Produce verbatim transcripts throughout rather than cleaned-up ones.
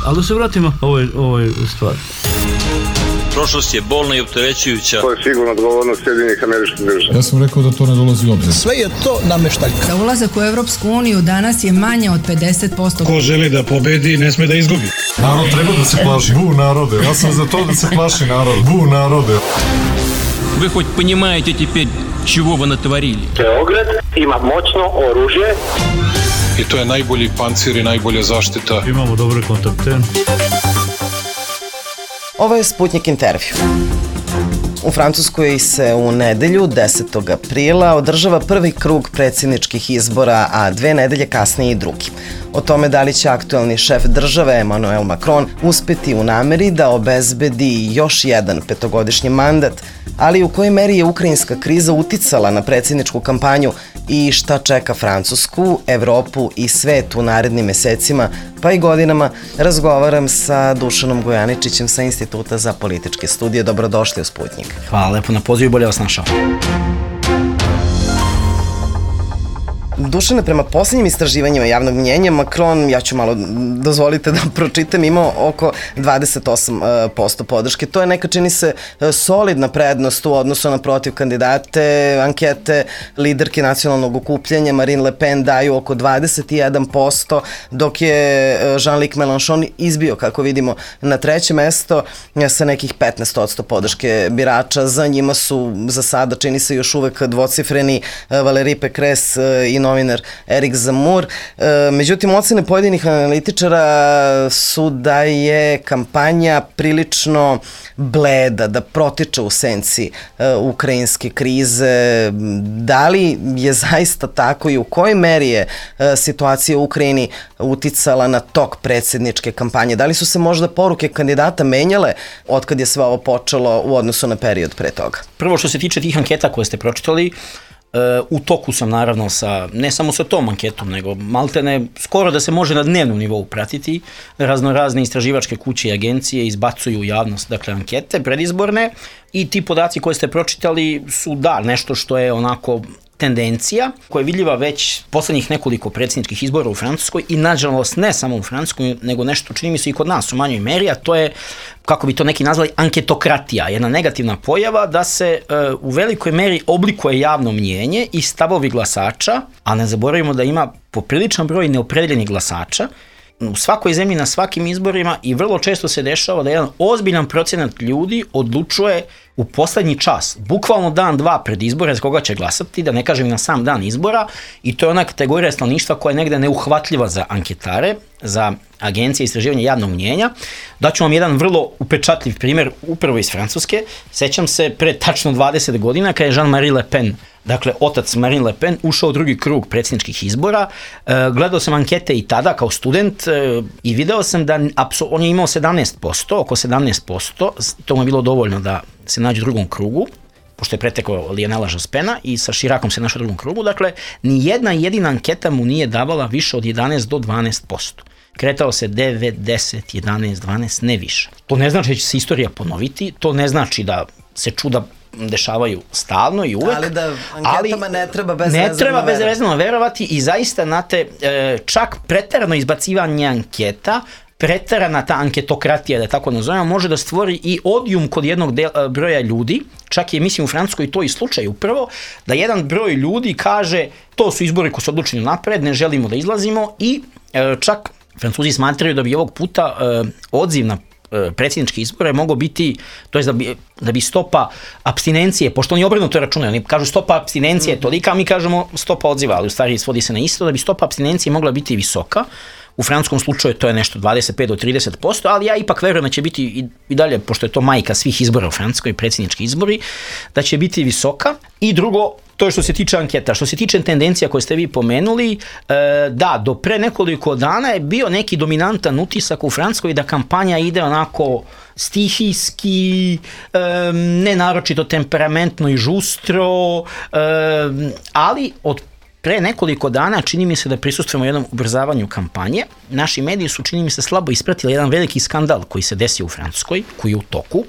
Ali da se vratimo ovoj, ovoj stvari. Prošlost je bolna i opterećujuća. To je sigurno odgovornost Sjedinjenih Američkih Država. Ja sam rekao da to ne dolazi u obzir. Sve je to nameštaljka. Da ulazak u Evropsku uniju danas je manje od pedeset posto. Ko želi da pobedi, ne sme da izgubi. Narod treba da se plaši. Bu narode. Ja sam za to da se plaši narod. Bu narode. Вы хоть понимаете теперь, чего вы натворили? Beograd ima moćno oružje. I to je najbolji pancir i najbolja zaštita. Imamo dobre kontakte. Ovo je Sputnik intervju. U Francuskoj se u nedelju, desetog aprila, održava prvi krug predsjedničkih izbora, a dve nedelje kasnije i drugi. O tome da li će aktuelni šef države Emmanuel Macron uspeti u nameri da obezbedi još jedan petogodišnji mandat, ali u kojoj meri je ukrajinska kriza uticala na predsjedničku kampanju i šta čeka Francusku, Evropu i svet u narednim mesecima, pa i godinama, razgovaram sa Dušanom Gojaničićem sa Instituta za političke studije. Dobrodošli u Sputnik. Hvala lepo na pozivu i bolje vas našao. Dušane, prema posljednjim istraživanjima javnog mnjenja, Macron, ja ću malo dozvolite da pročitam, imao oko dvadeset osam posto podrške. To je neka, čini se, solidna prednost u odnosu na protiv kandidate. Ankete liderke nacionalnog okupljanja Marine Le Pen daju oko dvadeset jedan posto, dok je Jean-Luc Mélenchon izbio, kako vidimo, na treće mesto sa nekih petnaest posto podrške birača. Za njima su za sada, čini se, još uvek dvocifreni Valérie Pécresse i novinar Erik Zemmour. Međutim, ocene pojedinih analitičara su da je kampanja prilično bleda, da protiče u senci ukrajinske krize. Da li je zaista tako i u kojoj meri je situacija u Ukrajini uticala na tok predsjedničke kampanje? Da li su se možda poruke kandidata menjale otkad je sve ovo počelo u odnosu na period pre toga? Prvo, što se tiče tih anketa koje ste pročitali, u toku sam naravno sa, ne samo sa tom anketom, nego maltene skoro da se može na dnevnom nivou pratiti. Razno razne istraživačke kuće i agencije izbacuju u javnost, dakle, ankete predizborne, i ti podaci koje ste pročitali su, da, nešto što je onako tendencija koja je vidljiva već poslednjih nekoliko predsjedničkih izbora u Francuskoj i nažalost ne samo u Francuskoj, nego nešto čini mi se i kod nas u manjoj meri, a to je, kako bi to neki nazvali, anketokratija, jedna negativna pojava da se e, u velikoj meri oblikuje javno mnjenje i stavovi glasača, a ne zaboravimo da ima popriličan broj neopredeljenih glasača u svakoj zemlji na svakim izborima i vrlo često se dešava da jedan ozbiljan procenat ljudi odlučuje u poslednji čas, bukvalno dan, dva pred izbore za koga će glasati, da ne kažem na sam dan izbora, i to je ona kategorija stanovništva koja je negde neuhvatljiva za anketare, za agencije istraživanja javnog mnjenja. Daću vam jedan vrlo upečatljiv primjer upravo iz Francuske. Sećam se pre tačno dvadeset godina kada je Jean-Marie Le Pen, dakle otac Marine Le Pen, ušao u drugi krug predsjedničkih izbora. E, gledao sam ankete i tada kao student e, i video sam da on je imao sedamnaest posto, oko sedamnaest posto, to mu je bilo dovoljno da se nađe u drugom krugu, pošto je pretekao Lionela Jospena i sa Chiracom se našao u drugom krugu. Dakle, ni jedna jedina anketa mu nije davala više od jedanaest do dvanaest posto. Kretao se devet, deset, jedanaest, dvanaest, ne više. To ne znači da će se istorija ponoviti, to ne znači da se čuda dešavaju stalno i uvek. Ali da anketama ali ne treba bezrezervno ne treba bezrezervno verovati i zaista, znate, čak preterano izbacivanje anketa, preterana ta anketokratija, da tako nazovemo, može da stvori i odijum kod jednog dela, broja ljudi. Čak je, mislim, u Francuskoj to i slučaj upravo, da jedan broj ljudi kaže to su izbori koji su odlučeni napred, ne želimo da izlazimo, i e, čak Francuzi smatraju da bi ovog puta e, odziv na predsjedničke izbore mogao biti, to je da bi, da bi stopa apstinencije, pošto oni obrnuto računaju, oni kažu stopa apstinencije je tolika, a mi kažemo stopa odziva, ali u stvari svodi se na isto, da bi stopa apstinencije mogla biti visoka. U francuskom slučaju to je nešto dvadeset pet do trideset posto, ali ja ipak verujem da će biti i, i dalje, pošto je to majka svih izbora u Francuskoj, predsjednički izbori, da će biti visoka. I drugo, to je što se tiče anketa. Što se tiče tendencija koje ste vi pomenuli, e, da, do pre nekoliko dana je bio neki dominantan utisak u Francuskoj da kampanja ide onako stihijski, e, ne naročito temperamentno i žustro, e, ali od pre nekoliko dana čini mi se da prisustvujemo jednom ubrzavanju kampanje. Naši mediji su, čini mi se, slabo ispratili jedan veliki skandal koji se desio u Francuskoj, koji je u toku.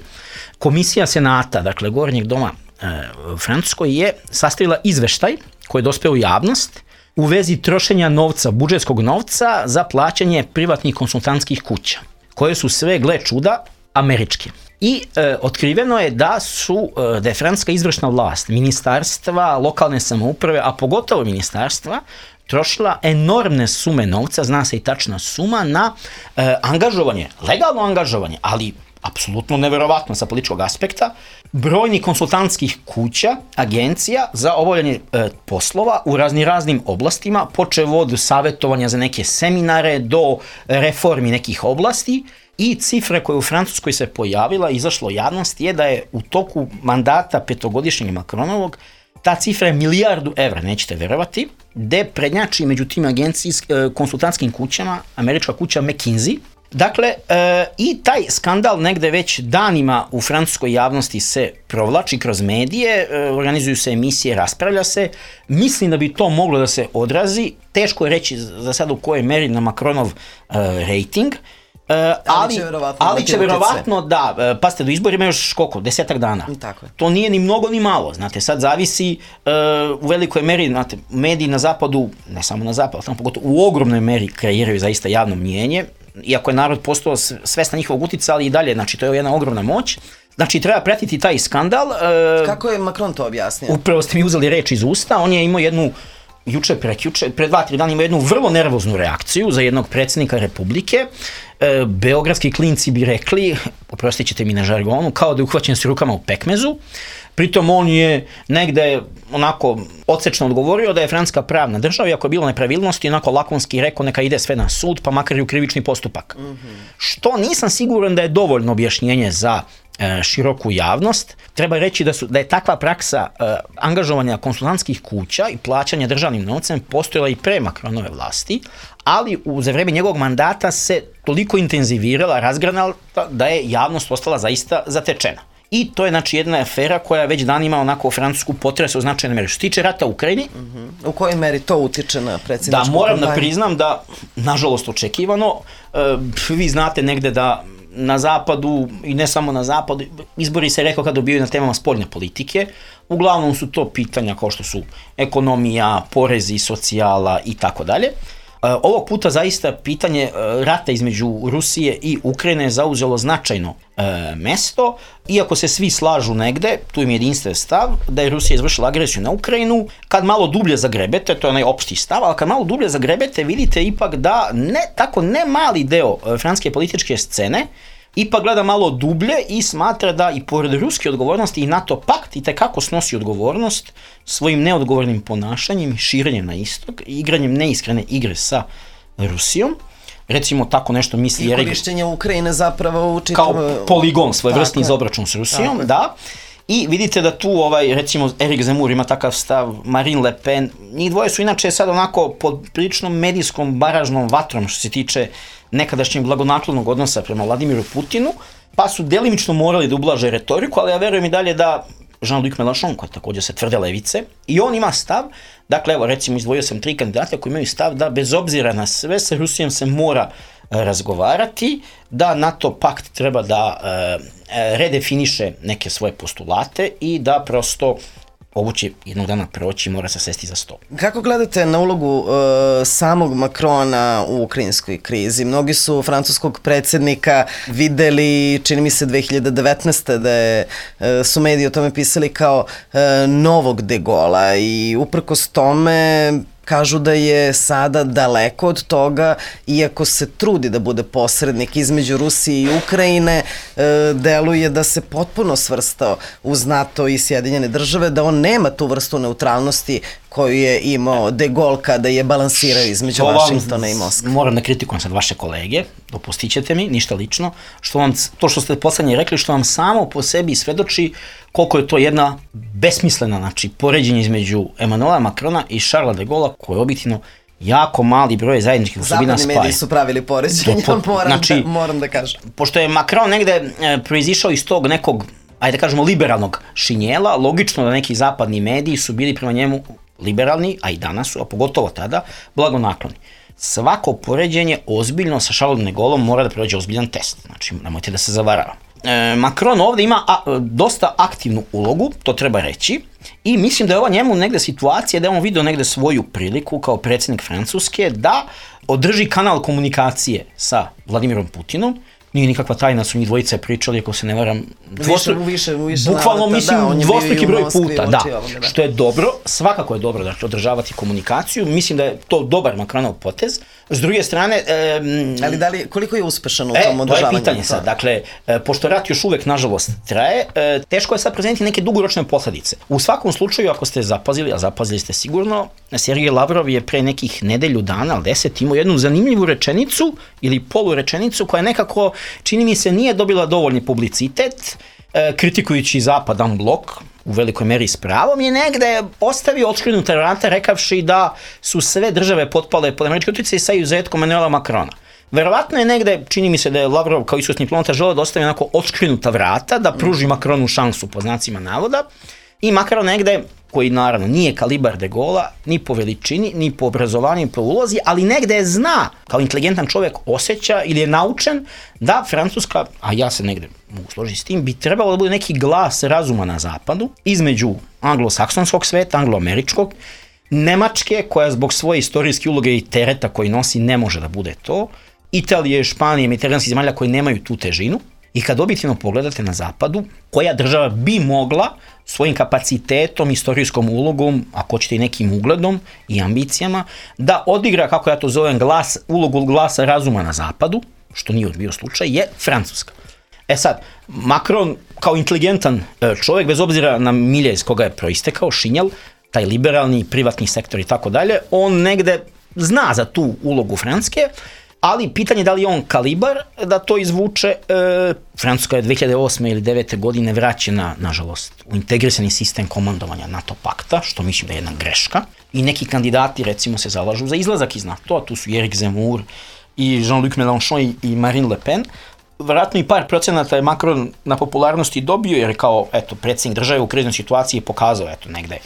Komisija Senata, dakle Gornjeg doma e, u Francuskoj, je sastavila izveštaj koji je dospeo u javnost, u vezi trošenja novca, budžetskog novca za plaćanje privatnih konsultantskih kuća, koje su sve, gle čuda, američke. I e, otkriveno je da su, e, da je francuska izvršna vlast, ministarstva, lokalne samouprave, a pogotovo ministarstva, trošila enormne sume novca, zna se i tačna suma, na e, angažovanje, legalno angažovanje, ali apsolutno neverovatno sa političkog aspekta, brojnih konsultantskih kuća, agencija za obavljanje e, poslova u razni raznim oblastima, počev od savjetovanja za neke seminare do reformi nekih oblasti. I cifra koja u Francuskoj se pojavila, izašlo javnost, je da je u toku mandata petogodišnjeg Macronovog ta cifra je milijardu evra, nećete verovati, gde prednjači među tim agencijskim konsultantskim kućama američka kuća McKinsey. Dakle, e, i taj skandal negde već danima u francuskoj javnosti se provlači kroz medije, e, organizuju se emisije, raspravlja se. Mislim da bi to moglo da se odrazi. Teško je reći za sad u kojoj meri na Macronov e, rating. Uh, ali, ali će verovatno, ali će verovatno da, uh, pa ste do izbora ima još koliko, desetak dana. Tako je. To nije ni mnogo ni malo, znate, sad zavisi uh, u velikoj meri, znate, mediji na zapadu, ne samo na zapadu, ali pogotovo u ogromnoj meri kreiraju zaista javno mnijenje, iako je narod postao svestan njihovog uticaja, ali i dalje, znači to je jedna ogromna moć. Znači, treba pratiti taj skandal. Uh, Kako je Macron to objasnio? Upravo ste mi uzeli reč iz usta, on je imao jednu juče, prekjuče, pre dva, tri dana ima jednu vrlo nervoznu reakciju za jednog predsjednika Republike. E, beogradski klinci bi rekli, oprostit ćete mi na žargonu, kao da je uhvaćen s rukama u pekmezu. Pritom on je negde onako odsečno odgovorio da je Francuska pravna država i ako je bilo nepravilnosti, onako lakonski rekao neka ide sve na sud, pa makar i u krivični postupak. Mm-hmm. Što nisam siguran da je dovoljno objašnjenje za e, široku javnost. Treba reći da, su, da je takva praksa e, angažovanja konsultantskih kuća i plaćanja državnim novcem postojala i pre Macronove vlasti, ali u, za vreme njegovog mandata se toliko intenzivirala, razgranala da je javnost ostala zaista zatečena. I to je znači jedna afera koja već danima onako Francusku potresa u značajnoj meri. Što se tiče rata u Ukrajini... Uh-huh. U kojoj meri to utiče na predsjedničku Da, moram kampanju? da priznam da, nažalost očekivano, e, vi znate negde da na zapadu, i ne samo na zapadu, izbori se rekao kad dobijaju na temama spoljne politike, uglavnom su to pitanja kao što su ekonomija, porezi, socijala i tako dalje. Ovog puta zaista pitanje rata između Rusije i Ukrajine je zauzelo značajno e, mesto, iako se svi slažu negde, tu im je jedinstven stav, da je Rusija izvršila agresiju na Ukrajinu. Kad malo dublje zagrebete, to je onaj opšti stav, ali kad malo dublje zagrebete vidite ipak da ne, tako ne mali deo francuske političke scene ipak gleda malo dublje i smatra da i pored ruske odgovornosti i NATO pakt i tekako snosi odgovornost svojim neodgovornim ponašanjem, širenjem na istok, igranjem neiskrene igre sa Rusijom. Recimo tako nešto misli... I korišćenje Ukrajine zapravo u čitav... Kao poligon svojevrsni za obračun s Rusijom, tako da. I vidite da tu, ovaj, recimo, Erik Zemmour ima takav stav, Marine Le Pen, njih dvoje su inače sad onako pod priličnom medijskom baražnom vatrom što se tiče nekadašnjeg blagonaklonog odnosa prema Vladimiru Putinu, pa su delimično morali da ublaže retoriku, ali ja verujem i dalje da Jean-Luc Mélenchon, koji također se tvrde levice, i on ima stav, dakle, evo, recimo, izdvojio sam tri kandidata koji imaju stav da bez obzira na sve sa Rusijom se mora razgovarati, da NATO pakt treba da e, redefiniše neke svoje postulate i da prosto ovo će jednog dana proći, mora se sesti za sto. Kako gledate na ulogu e, samog Macrona u ukrajinskoj krizi? Mnogi su francuskog predsjednika videli, čini mi se dve hiljade devetnaeste da je, e, su mediji o tome pisali kao e, novog De Gaulla i uprkos tome kažu da je sada daleko od toga, iako se trudi da bude posrednik između Rusije i Ukrajine, e, deluje da se potpuno svrstao uz NATO i Sjedinjene države, da on nema tu vrstu neutralnosti koju je imao De Gaulle kada je balansirao između to Vašingtona i Moskve. Moram da kritikujem sad vaše kolege, dopustit ćete mi, ništa lično, što vam, to što ste poslednje rekli, što vam samo po sebi svedoči koliko je to jedna besmislena, znači, poređenje između Emmanuela Macrona i Charlesa de Gaulla, koji je objektivno jako mali broj zajedničkih osobina spaja. Zapadni mediji su pravili poređenje, moram, znači, da, moram da kažem. Pošto je Macron negde e, proizišao iz tog nekog, ajde da kažemo, liberalnog šinjela, logično da neki zapadni mediji su bili prema njemu liberalni, a i danas su, a pogotovo tada, blagonakloni. Svako poređenje ozbiljno sa Charlesom de Gaullom mora da prođe ozbiljan test. Znači, nemojte da se zavarava. e, Macron ovde ima a, dosta aktivnu ulogu, to treba reći, i mislim da je ova njemu negde situacija da je on vidio negde svoju priliku kao predsjednik Francuske da održi kanal komunikacije sa Vladimirom Putinom. Nije nikakva tajna, su njih dvojice pričali, ako se ne varam, Dvostru, više, više bukvalno navata, mislim da, dvostruki broj puta, da, ovoga, da, što je dobro, svakako je dobro da održavati komunikaciju, mislim da je to dobar Macronov potez. S druge strane... E, ali da li, koliko je uspešan u e, tom održavanju? To je pitanje sad, dakle, e, pošto rat još uvek, nažalost, traje, e, teško je sad prezeniti neke dugoročne posledice. U svakom slučaju, ako ste zapazili, a zapazili ste sigurno, Sergej Lavrov je pre nekih nedelju dana, ali deset, imao jednu zanimljivu rečenicu ili polurečenicu koja nekako, čini mi se, nije dobila dovoljni publicitet, e, kritikujući Zapadan blok, u velikoj meri s pravom, je negde ostavio otškrinuta vrata rekavši da su sve države potpale pod američki utjecaj sa izuzetkom Emmanuela Macrona. Verovatno je negde, čini mi se da je Lavrov kao iskusni diplomata želeo da ostavi onako otškrinuta vrata, da pruži Macronu šansu po znacima navoda, i Macron negde, koji naravno nije kalibar de Gaulla, ni po veličini, ni po obrazovanju, ni po ulozi, ali negde zna, kao inteligentan čovjek osjeća ili je naučen da Francuska, a ja se negde mogu složiti s tim, bi trebalo da bude neki glas razuma na zapadu, između anglosaksonskog sveta, angloameričkog, Nemačke, koja zbog svoje istorijske uloge i tereta koji nosi ne može da bude to, Italije, Španije, mediteranskih zemalja koji nemaju tu težinu. I kad objektivno pogledate na zapadu, koja država bi mogla svojim kapacitetom, istorijskom ulogom, ako hoćete i nekim ugledom i ambicijama, da odigra, kako ja to zovem, glas, ulogu glasa razuma na zapadu, što nije bio slučaj, je Francuska. E sad, Macron kao inteligentan čovjek, bez obzira na milje iz koga je proistekao, šinjal, taj liberalni, privatni sektor i tako dalje, on negde zna za tu ulogu Francuske, ali pitanje da li je on kalibar da to izvuče. E, Francuska je dve hiljade osme ili devete godine vraćena, nažalost, u integrisani sistem komandovanja NATO pakta, što mislim da je jedna greška. I neki kandidati, recimo, se zalažu za izlazak iz NATO, a tu su Eric Zemmour i Jean-Luc Mélenchon i, i Marine Le Pen. Vjerojatno i par procenata je Macron na popularnosti dobio, jer kao, eto, predsjednik države u kriznoj situaciji je pokazao, eto, negde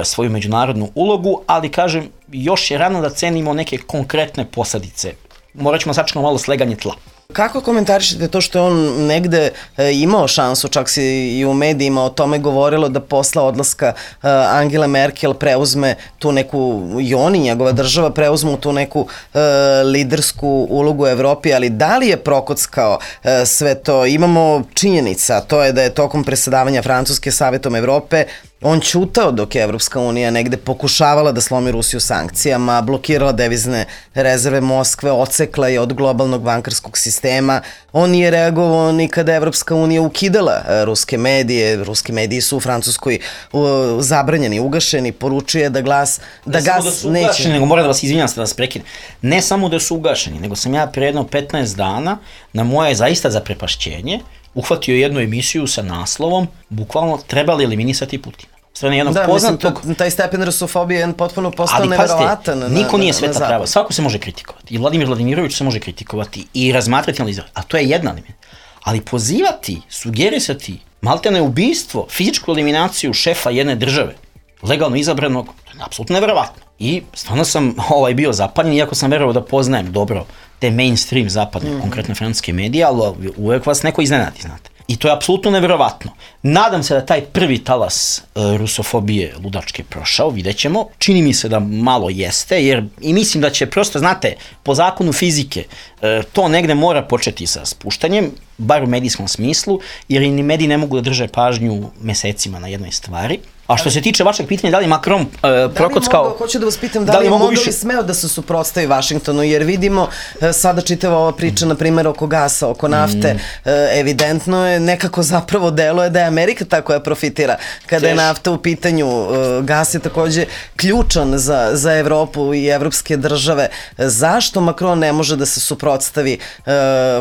svoju međunarodnu ulogu, ali, kažem, još je rano da cenimo neke konkretne posljedice. Morat ćemo sačekati malo sleganje tla. Kako komentarišete to što je on negde e, imao šansu, čak se i u medijima o tome govorilo da posle odlaska e, Angela Merkel preuzme tu neku, i oni, njegova država, preuzmu tu neku e, lidersku ulogu u Evropi, ali da li je prokockao e, sve to? Imamo činjenica, to je da je tokom presedavanja Francuske Savetom Evrope on ćutao dok je Evropska unija negde pokušavala da slomi Rusiju sankcijama, blokirala devizne rezerve Moskve, odsekla je od globalnog bankarskog sistema. On nije reagovao ni kada je Evropska unija ukidala ruske medije. Ruski mediji su u Francuskoj uh, zabranjeni, ugašeni, poručuje da glas, da ne gas da su neće. Ugašeni, nego moram da vas izvinjam se da vas prekinem. Ne samo da su ugašeni, nego sam ja pre jedno petnaest dana na moje zaista zaprepašćenje uhvatio jednu emisiju sa naslovom bukvalno trebali eliminisati Putina. Strane jednog da, poznatog... mislim, taj stepen rusofobije je potpuno postao ali, neverovatan. Ali niko nije sveta prava. Svako se može kritikovati. I Vladimir Vladimirović se može kritikovati i razmatrati, analizirati. A to je jedna element. Ali pozivati, sugerisati, maltene ubistvo, fizičku eliminaciju šefa jedne države, legalno izabranog, to je apsolutno neverovatno. I stvarno sam ovaj, bio zapaljen, iako sam verovao da poznajem dobro te mainstream zapadne, mm. konkretne francuske medije, ali uvek vas neko iznenadi, znate. I to je apsolutno neverovatno. Nadam se da taj prvi talas e, rusofobije ludačke prošao, vidjet ćemo. Čini mi se da malo jeste, jer i mislim da će prosto, znate, po zakonu fizike, e, to negde mora početi sa spuštanjem, bar u medijskom smislu, jer i ni mediji ne mogu da drže pažnju mesecima na jednoj stvari. A što se tiče vašeg pitanja, da li Macron uh, prokockao... Mogao, hoću da vas pitam, da, da li, li mogao više... smeo da se suprotstavi Vašingtonu, jer vidimo uh, sada čitava ova priča, mm. na primjer, oko gasa, oko nafte, mm. uh, evidentno je, nekako zapravo deluje da je Amerika ta koja profitira. Kada Teš. je nafta u pitanju, uh, gas je takođe ključan za, za Evropu i evropske države. Zašto Macron ne može da se suprotstavi uh,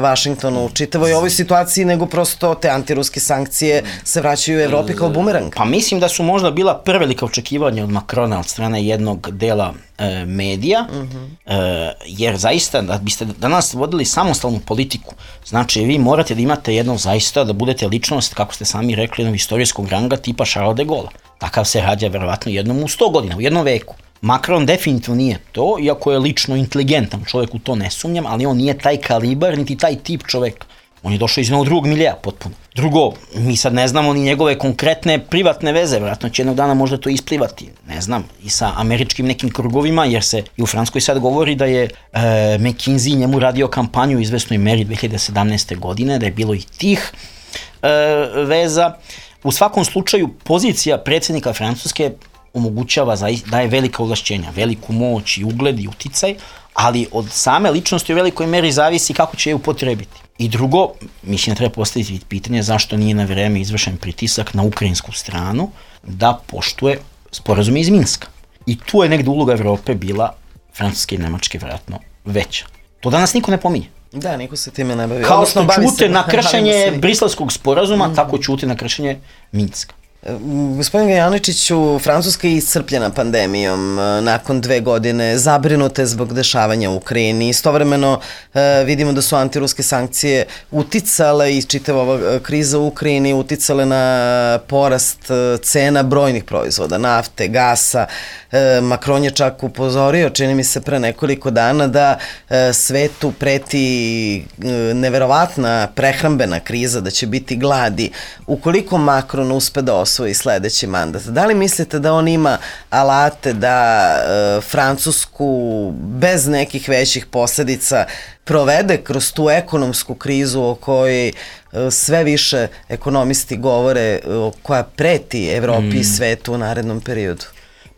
Vašingtonu u čitavoj ovoj situaciji, nego prosto te antiruske sankcije se vraćaju u Evropi kao bumerang? Pa mislim da su možda bila prevelika očekivanja od Macrona od strane jednog dela e, medija, uh-huh. e, jer zaista da biste danas vodili samostalnu politiku, znači vi morate da imate jedno zaista, da budete ličnost, kako ste sami rekli, jednog istorijskog ranga tipa Charles de Gaulle. Takav se rađa verovatno jednom u sto godina, u jednom veku. Macron definitivno nije to, iako je lično inteligentan čovjek, u to ne sumnjam, ali on nije taj kalibar, niti taj tip čovjeka. On je došao iz jednog drugog milija potpuno. Drugo, mi sad ne znamo ni njegove konkretne privatne veze, vjerojatno će jednog dana možda to isplivati, ne znam, i sa američkim nekim krugovima, jer se i u Francuskoj sad govori da je e, McKinsey njemu radio kampanju u izvesnoj meri dve hiljade sedamnaeste. godine, da je bilo i tih e, veza. U svakom slučaju, pozicija predsjednika Francuske omogućava, daje velika ovlašćenja, veliku moć i ugled i uticaj, ali od same ličnosti u velikoj meri zavisi kako će je upotrebiti. I drugo, mislim da treba postaviti pitanje zašto nije na vreme izvršen pritisak na ukrajinsku stranu da poštuje sporazume iz Minska. I tu je negde uloga Evrope bila, Francuske i Nemačke vjerojatno, veća. To danas niko ne pominje. Da, niko se time ne bavi. Kao što čute na kršenje Briselskog sporazuma, mm. tako čute na kršenje Minska. Gospodin Gajaničiću, Francuska je iscrpljena pandemijom nakon dve godine, zabrinute zbog dešavanja u Ukrajini. Istovremeno e, vidimo da su antiruske sankcije uticale i čitava ova kriza u Ukrajini uticale na porast cena brojnih proizvoda, nafte, gasa. E, Macron je čak upozorio, čini mi se pre nekoliko dana, da e, svetu preti e, neverovatna prehrambena kriza, da će biti gladi. Ukoliko Macron uspe da osvoji sledeći mandat, da li mislite da on ima alate da e, Francusku bez nekih većih posledica provede kroz tu ekonomsku krizu o kojoj e, sve više ekonomisti govore, o koja preti Evropi mm. i svetu u narednom periodu?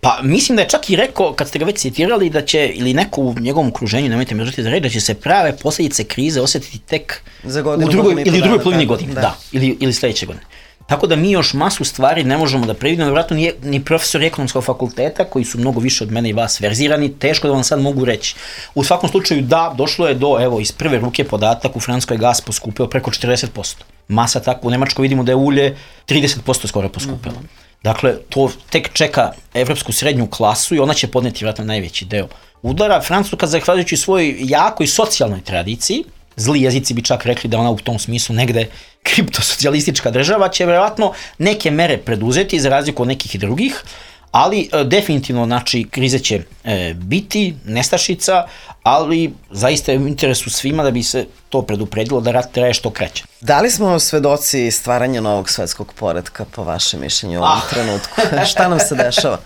Pa mislim da je čak i rekao, kad ste ga već citirali, da će, ili neko u njegovom okruženju, nemojte me želiti da reći, da će se prave posljedice krize osjetiti tek za godinu, u drugoj, ili u drugoj polovini tako, godine, da, da ili, ili sledeće godine. Tako da mi još masu stvari ne možemo da previdimo, vjerojatno nije ni profesori ekonomskog fakulteta, koji su mnogo više od mene i vas verzirani, teško da vam sad mogu reći. U svakom slučaju da, došlo je do, evo, iz prve ruke podatak, u Francuskoj gas poskupeo preko četrdeset posto. Masa tako, u Nemačkoj vidimo da je ulje trideset posto skoro poskupelo. Mm-hmm. Dakle, to tek čeka evropsku srednju klasu i ona će podneti vjerojatno najveći deo udara. Francuska, zahvaljujući svojoj jakoj socijalnoj tradiciji, zli jezici bi čak rekli da ona u tom smislu negde kriptosocijalistička država, će vjerojatno neke mere preduzeti za razliku od nekih drugih, ali e, definitivno, znači, krize će e, biti, nestašica, ali zaista je u interesu svima da bi se to predupredilo da rat traje što kraće. Da li smo svedoci stvaranja novog svetskog poretka, po vašem mišljenju, u ovom ah. trenutku? Šta nam se dešava?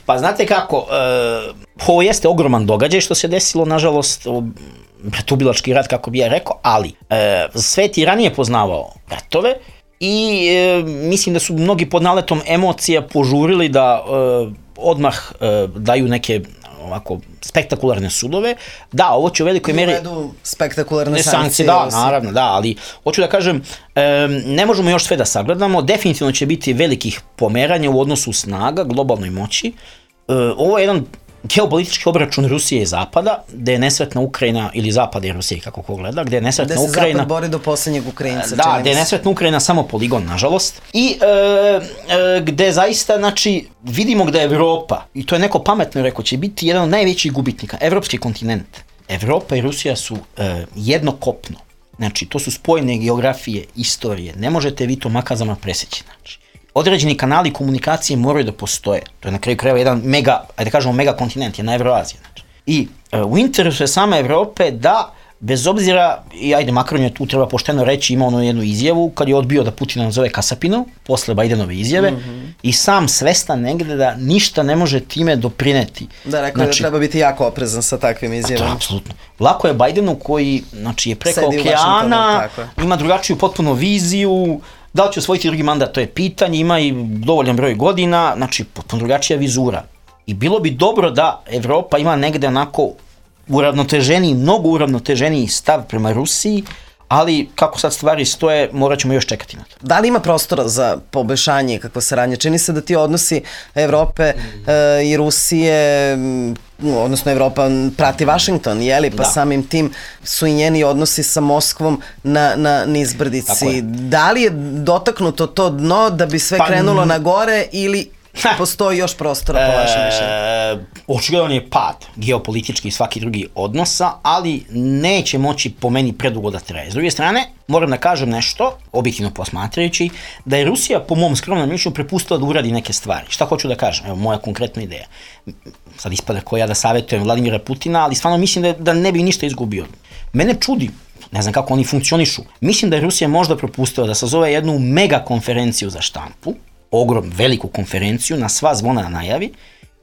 Pa znate kako, e, ovo jeste ogroman događaj što se desilo, nažalost, bratubilački rat, kako bi ja rekao, ali e, svet i ranije poznavao ratove i e, mislim da su mnogi pod naletom emocija požurili da e, odmah e, daju neke ovako spektakularne sudove. Da, ovo će u velikoj meri... Uvedu spektakularne sankcije. sankcije da, naravno, da, ali hoću da kažem, e, ne možemo još sve da sagledamo, definitivno će biti velikih pomeranja u odnosu snaga, globalnoj moći. E, ovo je jedan geopolitički obračun Rusije i Zapada, gde je nesretna Ukrajina, ili Zapada i Rusije, kako ko gleda, gde je nesretna Ukrajina... Gde se Ukrajina, Zapad bori do posljednjeg Ukrajinca. Da, gde je nesretna Ukrajina samo poligon, nažalost. I e, e, gde zaista, znači, vidimo gde je Evropa, i to je neko pametno rekao, će biti jedan od najvećih gubitnika, evropski kontinent. Evropa i Rusija su e, jedno kopno. Znači, to su spojene geografije, istorije. Ne možete vi to makazama preseći, znači. Određeni kanali komunikacije moraju da postoje. To je na kraju krajeva jedan mega, ajde kažemo mega kontinent, jedna Evroazija. Znači. I e, u interesu je same Evrope da, bez obzira, i ajde Macron je tu treba pošteno reći, ima ono jednu izjavu, kad je odbio da Putina nazove Kasapinov, posle Bidenove izjave, mm-hmm. i sam svestan negde da ništa ne može time doprineti. Da, rekao znači, da treba biti jako oprezan sa takvim izjavama. To, apsolutno. Lako je Bidenu koji, znači, je preko Sedi okeana, ima drugačiju potpuno viziju, da li će osvojiti drugi mandat, to je pitanje, ima i dovoljan broj godina, znači potpuno drugačija vizura. I bilo bi dobro da Evropa ima negde onako uravnoteženiji, mnogo uravnoteženiji stav prema Rusiji, ali kako sad stvari stoje, morat ćemo još čekati na to. Da li ima prostora za poboljšanje i kakvo saradnje? Čini se da ti odnosi Evrope e, i Rusije, odnosno Evropa prati Washington, jeli? Pa da. Samim tim su i njeni odnosi sa Moskvom na, na nizbrdici. Da li je dotaknuto to dno da bi sve pa, krenulo na gore ili... Ha. Postoji još prostora po vašem mišljenju? E, očigledan je pad geopolitički i svaki drugi odnosa, ali neće moći po meni predugo da traje. S druge strane, moram da kažem nešto, objektivno posmatrajući, da je Rusija po mom skromnom mišljenju prepustila da uradi neke stvari. Šta hoću da kažem? Evo, moja konkretna ideja. Sad ispada ko ja da savjetujem Vladimira Putina, ali stvarno mislim da, da ne bi ništa izgubio. Mene čudi, ne znam kako oni funkcionišu. Mislim da je Rusija možda propustila da sazove jednu mega konferenciju za štampu, ogrom, veliku konferenciju, na sva zvona najavi,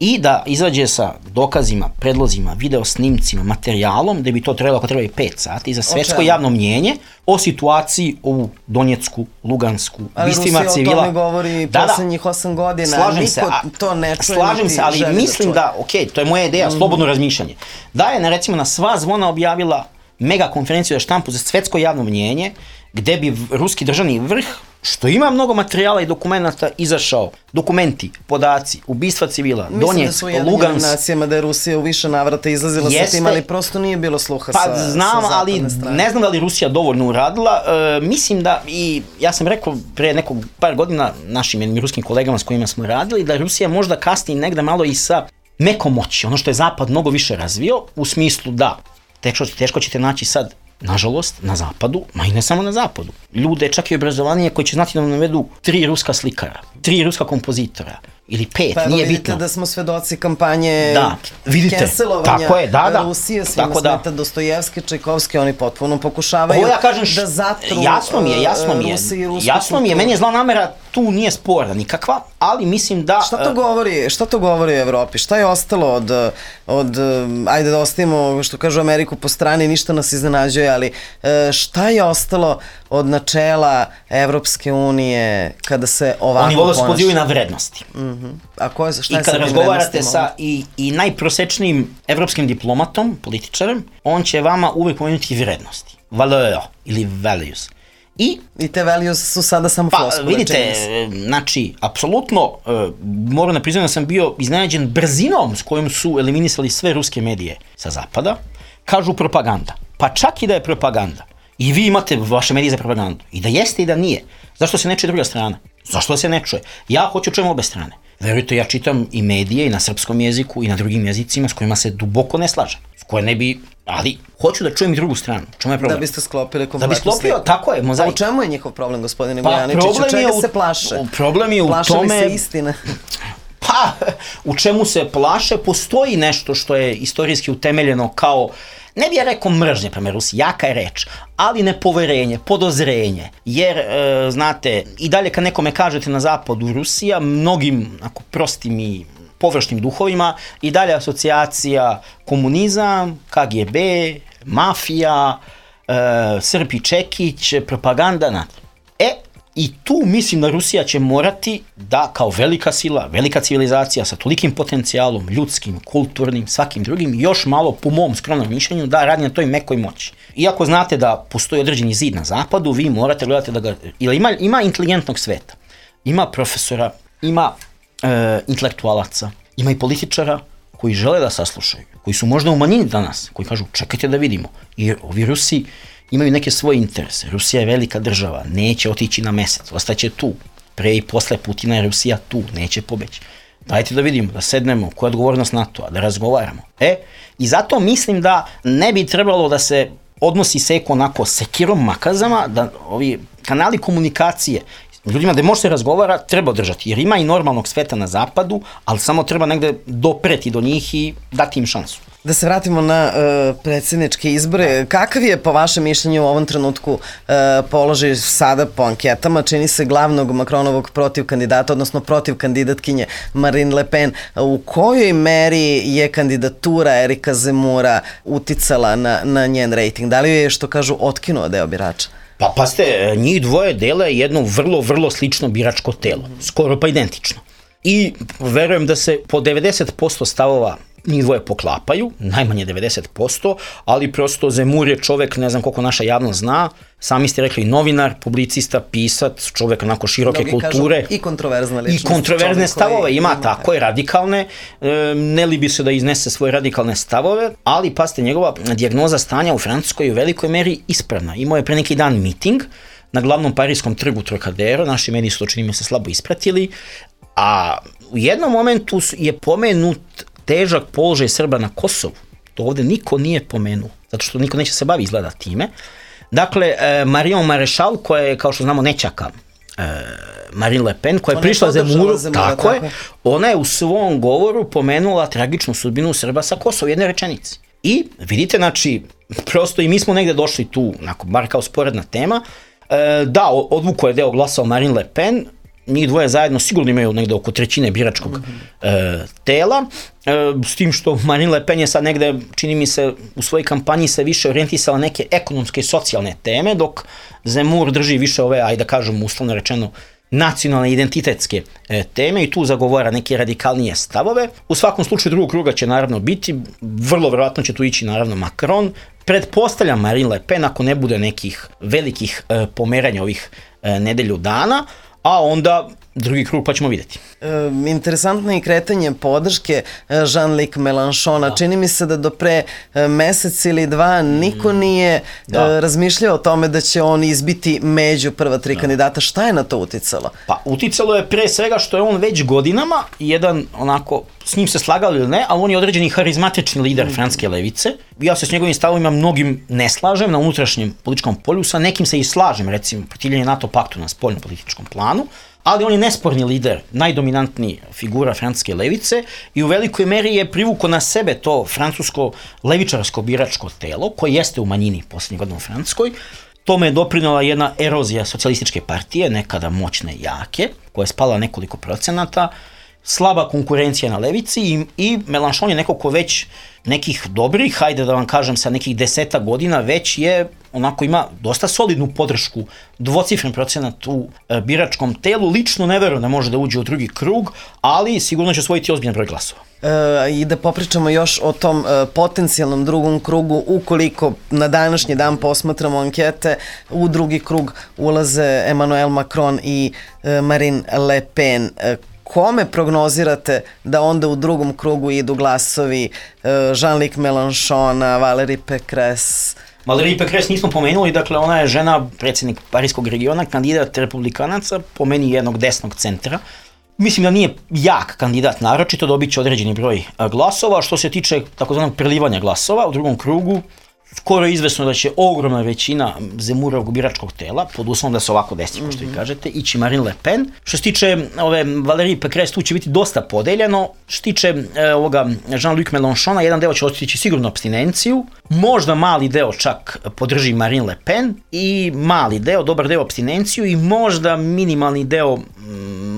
i da izađe sa dokazima, predlozima, video snimcima, materijalom, da bi to trebalo ako treba i pet sati, za svetsko javno mnjenje o situaciji u Donjecku, Lugansku, bistvima civila. Ali Rusija o tome govori da, poslednjih osam godina, slažem niko se, a, to ne čuje. Slažem se, ali mislim da, da ok, to je moja ideja, mm. slobodno razmišljanje. Da je, na, recimo, na sva zvona objavila mega konferenciju za štampu za svetsko javno mnjenje, gde bi ruski državni vrh, što ima mnogo materijala i dokumenta, izašao, dokumenti, podaci, ubistva civila, Donjeck, Lugans. Mislim da su u Jedinim nacijama da je Rusija u više navrata izlazila sa tim, ali prosto nije bilo sluha pa, sa, znam, sa zapadne ali strane. Ne znam da li Rusija dovoljno uradila, e, mislim da, i ja sam rekao pre nekog par godina našim jednim ruskim kolegama s kojima smo radili, da Rusija možda kasni negde malo i sa mekom moći, ono što je Zapad mnogo više razvio, u smislu da teško, teško ćete naći sad, nažalost, na zapadu, ma i ne samo na zapadu, ljude čak i obrazovanije koji će znati da nam navedu tri ruska slikara, tri ruska kompozitora, ili pet, pa, nije vidite bitno. Da smo svedoci kampanje da, vidite, cancelovanja tako je, da, da. Rusije, svima tako smeta da. Dostojevski, Čajkovski, oni potpuno pokušavaju ja kažem, da zatru jasno mi je, jasno mi je, Rusiji i rusku jasno mi je, meni je zla namera, tu nije sporna nikakva, ali mislim da... Šta to govori, šta to govori o Evropi? Šta je ostalo od, od ajde da ostavimo, što kažu, Ameriku po strani, ništa nas iznenađuje, ali šta je ostalo od načela Evropske unije kada se ovako Oni vole se pozivaju na vrednosti. Mm-hmm. A ko je, šta I je kada razgovarate sa i, i najprosečnijim evropskim diplomatom, političarem, on će vama uvek pomenuti vrednosti. Valeur ili values. I, I te values su sada samo pa, floskule. Vidite, znači, apsolutno, uh, moram da priznam da sam bio iznenađen brzinom s kojom su eliminisali sve ruske medije sa zapada. Kažu propaganda. Pa čak i da je propaganda. I vi imate vaše medije za propagandu. I da jeste i da nije. Zašto se ne čuje druga strana? Zašto da se ne čuje? Ja hoću čujem obe strane. Verujte, ja čitam i medije i na srpskom jeziku i na drugim jezicima s kojima se duboko ne slažem. S koje ne bi, ali hoću da čujem i drugu stranu. Čemu je problem? Da biste sklopili kompletnu sliku. Da bi sklopio, tako je, mozaik. A u čemu je njihov problem, gospodine Bojaničiću? Pa, čega se plaše? Problem je u plaše tome... Plaše li se istine? Pa, u čemu se plaše? Postoji nešto što je istorijski utemeljeno kao, ne bi ja rekao mržnje prema Rusiji, jaka je reč, ali nepoverenje, podozrenje, jer, e, znate, i dalje kad nekome kažete na zapadu Rusija, mnogim, ako prostim i površnim duhovima, i dalje asocijacija komunizam, K G B, mafija, e, Srpi Čekić, propaganda, znate. E, i tu mislim da Rusija će morati da kao velika sila, velika civilizacija sa tolikim potencijalom, ljudskim, kulturnim, svakim drugim, još malo po mom skromnom mišljenju da radi na toj mekoj moći. Iako znate da postoji određeni zid na zapadu, vi morate gledati da ga, ili ima, ima inteligentnog sveta, ima profesora, ima e, intelektualaca, ima i političara koji žele da saslušaju, koji su možda u manjini danas, koji kažu čekajte da vidimo, jer ovi Rusi imaju neke svoje interese. Rusija je velika država, neće otići na mesec, ostaće tu. Pre i posle Putina je Rusija tu, neće pobeći. Dajte da vidimo, da sednemo, koja je odgovornost NATO-a, da razgovaramo. E, i zato mislim da ne bi trebalo da se odnosi seko onako sekirom makazama, da ovi kanali komunikacije ljudima da može se razgovara, treba održati, jer ima i normalnog sveta na zapadu, ali samo treba negde dopreti do njih i dati im šansu. Da se vratimo na uh, predsjedničke izbore. Kakav je po vašem mišljenju u ovom trenutku uh, položaj sada po anketama? Čini se glavnog Macronovog protiv kandidata, odnosno protiv kandidatkinje Marine Le Pen. U kojoj meri je kandidatura Erika Zemura uticala na, na njen rejting? Da li je, što kažu, otkinuo deo birača? Pa pazite, njih dvoje dele jedno vrlo, vrlo slično biračko telo. Skoro pa identično. I verujem da se po devedeset posto stavova njih dvoje poklapaju, najmanje devedeset posto, ali prosto Zemur je čovek, ne znam koliko naša javnost zna, sami ste rekli novinar, publicista, pisac, čovek onako široke Mnogi kulture. Kažu, i kontroverzna ličnost. I kontroverzne stavove ima, ima, tako je, radikalne, e, ne li bi se da iznese svoje radikalne stavove, ali pazite, njegova dijagnoza stanja u Francuskoj je u velikoj meri ispravna. Imao je pre neki dan miting na glavnom parijskom trgu Trocadero, naši mediji su to čini mi se slabo ispratili, a u jednom momentu je pomenut težak položaj Srba na Kosovu. To ovde niko nije pomenuo, zato što niko neće se bavi izgleda time. Dakle, e, Marion Maréchal, koja je, kao što znamo, nećaka e, Marine Le Pen, koja je prišla Zemuru, tako, tako je, ona je u svom govoru pomenula tragičnu sudbinu Srba sa Kosova, u jednoj rečenici. I vidite, znači, prosto i mi smo negde došli tu, onako, bar kao sporedna tema, e, da, odvuko je deo glasao Marine Le Pen, njih dvoje zajedno sigurno imaju negde oko trećine biračkog e, tela, e, s tim što Marine Le Pen je sad negde, čini mi se, u svojoj kampanji se više orijentisala neke ekonomske i socijalne teme, dok Zemmour drži više ove, ajde da kažem, uslovno rečeno, nacionalne identitetske e, teme i tu zagovara neke radikalnije stavove. U svakom slučaju drugog kruga će naravno biti, vrlo verovatno će tu ići naravno Macron, pretpostavljam Marine Le Pen ako ne bude nekih velikih e, pomeranja ovih e, nedelju dana, a onda drugi krug pa ćemo vidjeti. E, interesantno je i kretanje podrške Jean-Luc Mélenchona. Da. Čini mi se da do pre mesec ili dva niko nije da. razmišljao o tome da će on izbiti među prva tri da. kandidata. Šta je na to uticalo? Pa uticalo je pre svega što je on već godinama jedan onako, s njim se slagali ili ne, ali on je određeni harizmatični lider mm. francuske levice. Ja se s njegovim stavovima mnogim ne slažem na unutrašnjem političkom polju, sa nekim se i slažem, recimo protivljenje NATO paktu na spoljnom političkom planu, ali on je nesporni lider, najdominantniji figura francuske levice i u velikoj meri je privuko na sebe to francusko levičarsko biračko telo, koje jeste u manjini posljednjih godina u Francuskoj. Tome je doprinala jedna erozija socijalističke partije, nekada moćne i jake, koja je spala nekoliko procenata, slaba konkurencija na levici i, i Mélenchon je neko ko već nekih dobrih, hajde da vam kažem sa nekih deseta godina, već je onako ima dosta solidnu podršku, dvocifren procenat u e, biračkom telu. Lično ne verujem da može da uđe u drugi krug, ali sigurno će osvojiti ozbiljan broj glasova. E, I da popričamo još o tom e, potencijalnom drugom krugu, ukoliko na današnji dan posmatramo ankete, u drugi krug ulaze Emmanuel Macron i e, Marine Le Pen. E, Kome prognozirate da onda u drugom krugu idu glasovi Jean-Luc Mélenchona, Valérie Pécresse? Valérie Pécresse nismo pomenuli, dakle ona je žena, predsjednik Parijskog regiona, kandidat republikanaca, po meni jednog desnog centra. Mislim da nije jak kandidat naročito, dobit će određeni broj glasova. Što se tiče takozvanog prelivanja glasova u drugom krugu, skoro je izvesno da će ogromna većina Zemmourovog biračkog tela, pod uslovom da se ovako desi, kao što vi kažete, ići Marine Le Pen. Što se tiče ove Valérie Pécresse, tu će biti dosta podeljeno. Što se tiče e, ovoga Jean-Luc Mélenchona, jedan deo će otići sigurno apstinenciju, možda mali deo čak podrži Marine Le Pen i mali deo, dobar deo apstinenciju i možda minimalni deo mm,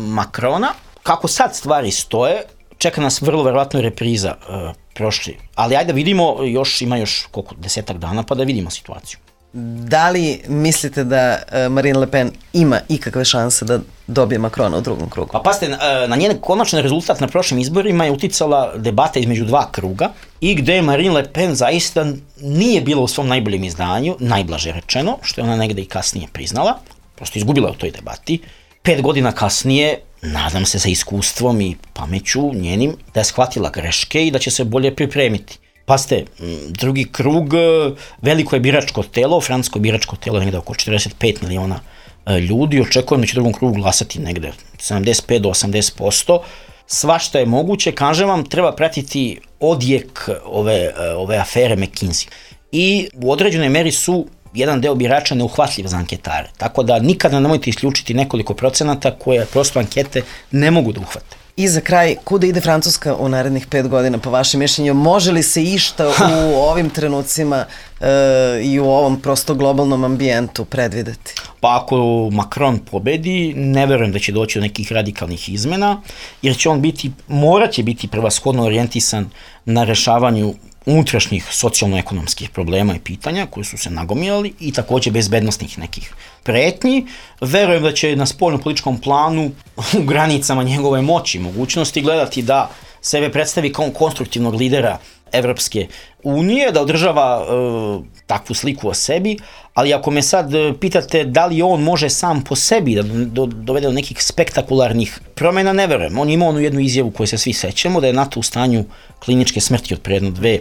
Macrona. Kako sad stvari stoje, čeka nas vrlo verovatno repriza e, prošli. Ali ajde da vidimo, još ima još koliko, desetak dana pa da vidimo situaciju. Da li mislite da uh, Marine Le Pen ima ikakve šanse da dobije Macrona u drugom krugu? Pa pazite, na njen konačan rezultat na prošlim izborima je uticala debata između dva kruga i gde Marine Le Pen zaista nije bila u svom najboljem izdanju, najblaže rečeno, što je ona negde i kasnije priznala, prosto izgubila u toj debati. Pet godina kasnije, nadam se sa iskustvom i pameću njenim, da je shvatila greške i da će se bolje pripremiti. Pazite, drugi krug, veliko je biračko telo, francusko biračko telo je negde oko četrdeset pet miliona ljudi, očekujem da će u drugom krugu glasati negde sedamdeset pet do osamdeset posto. Svašta je moguće, kažem vam, treba pratiti odjek ove, ove afere McKinsey. I u određenoj meri su jedan deo birača neuhvatljiv za anketare. Tako da nikada nemojte isključiti nekoliko procenata koje prosto ankete ne mogu da uhvate. I za kraj, kuda ide Francuska u narednih pet godina, po vašem mišljenju? Može li se išta u ovim trenucima e, i u ovom prosto globalnom ambijentu predvideti? Pa ako Macron pobedi, ne verujem da će doći do nekih radikalnih izmena, jer će on biti, morat će biti prevashodno orijentisan na rešavanju unutrašnjih socijalno-ekonomskih problema i pitanja koji su se nagomilali i takođe bezbednostnih nekih pretnji. Verujem da će na spoljnom političkom planu u granicama njegove moći, mogućnosti gledati da sebe predstavi kao konstruktivnog lidera Evropske unije, da održava e, takvu sliku o sebi, ali ako me sad pitate da li on može sam po sebi da do, dovede do nekih spektakularnih promjena, ne verujem. On ima onu jednu izjavu koju se svi sećamo, da je NATO u stanju kliničke smrti od pre jedno dve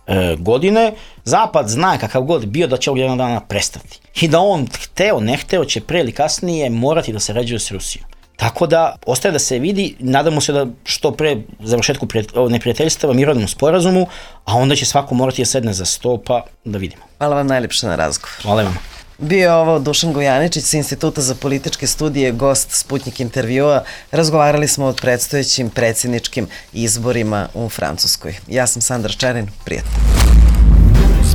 e, godine. Zapad zna kakav god bio da će ovog jednog dana prestati. I da on hteo, ne hteo će pre ili kasnije morati da se rađuje s Rusijom. Tako da, ostaje da se vidi, nadamo se da što pre završetku neprijateljstava, mirovnom sporazumu, a onda će svako morati da sedne za sto, pa da vidimo. Hvala vam najljepše na razgovor. Hvala vam. Bio je ovo Dušan Gojaničić sa Instituta za političke studije, gost Sputnik intervjua. Razgovarali smo o predstojećim predsjedničkim izborima u Francuskoj. Ja sam Sandra Čerin, prijatno.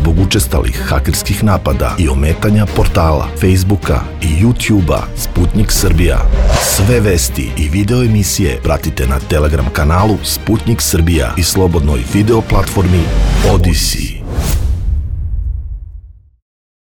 zbog učestalih hakerskih napada i ometanja portala, Facebooka i YouTubea Sputnik Srbija. Sve vesti i video emisije pratite na Telegram kanalu Sputnik Srbija i slobodnoj video platformi Odyssey.